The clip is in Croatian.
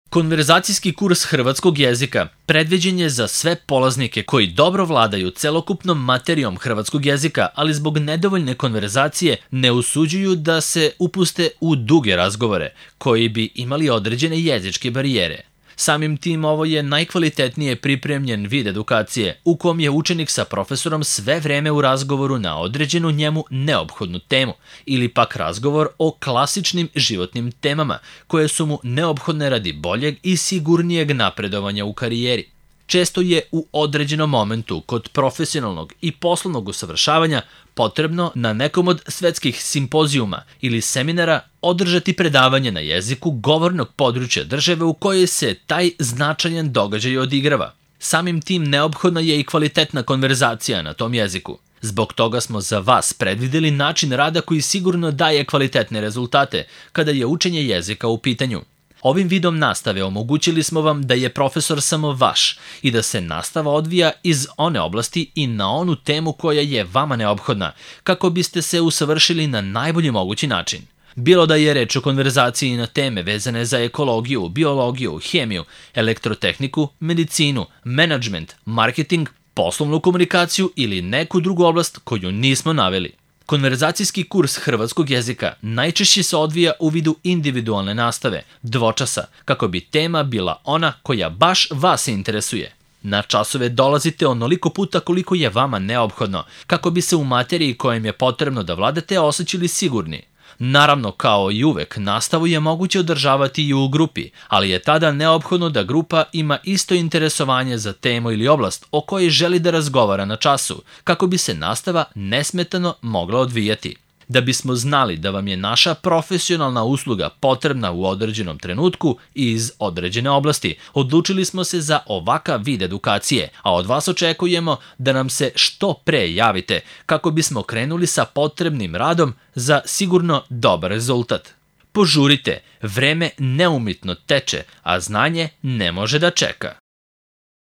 Konverzacijski kurs hrvatskog jezika predviđen je za sve polaznike koji dobro vladaju celokupnom materijom hrvatskog jezika, ali zbog nedovoljne konverzacije ne usuđuju da se upuste u duge razgovore, koji bi imali određene jezičke barijere. Samim tim ovo je najkvalitetnije pripremljen vid edukacije u kom je učenik sa profesorom sve vreme u razgovoru na određenu njemu neophodnu temu ili pak razgovor o klasičnim životnim temama koje su mu neophodne radi boljeg i sigurnijeg napredovanja u karijeri. Često je u određenom momentu kod profesionalnog i poslovnog usavršavanja potrebno na nekom od svetskih simpozijuma ili seminara održati predavanje na jeziku govornog područja države u kojoj se taj značajan događaj odigrava. Samim tim neophodna je i kvalitetna konverzacija na tom jeziku. Zbog toga smo za vas predvideli način rada koji sigurno daje kvalitetne rezultate kada je učenje jezika u pitanju. Ovim vidom nastave omogućili smo vam da je profesor samo vaš i da se nastava odvija iz one oblasti i na onu temu koja je vama neophodna, kako biste se usavršili na najbolji mogući način. Bilo da je reč o konverzaciji na teme vezane za ekologiju, biologiju, hemiju, elektrotehniku, medicinu, menadžment, marketing, poslovnu komunikaciju ili neku drugu oblast koju nismo naveli. Konverzacijski kurs hrvatskog jezika najčešće se odvija u vidu individualne nastave, dvočasa, kako bi tema bila ona koja baš vas interesuje. Na časove dolazite onoliko puta koliko je vama neophodno, kako bi se u materiji kojem je potrebno da vladate osjećali sigurni. Naravno, kao i uvek, nastavu je moguće održavati i u grupi, ali je tada neophodno da grupa ima isto interesovanje za temu ili oblast o kojoj želi da razgovara na času, kako bi se nastava nesmetano mogla odvijati. Da bismo znali da vam je naša profesionalna usluga potrebna u određenom trenutku i iz određene oblasti, odlučili smo se za ovakav vid edukacije, a od vas očekujemo da nam se što pre javite kako bismo krenuli sa potrebnim radom za sigurno dobar rezultat. Požurite, vreme neumitno teče, a znanje ne može da čeka.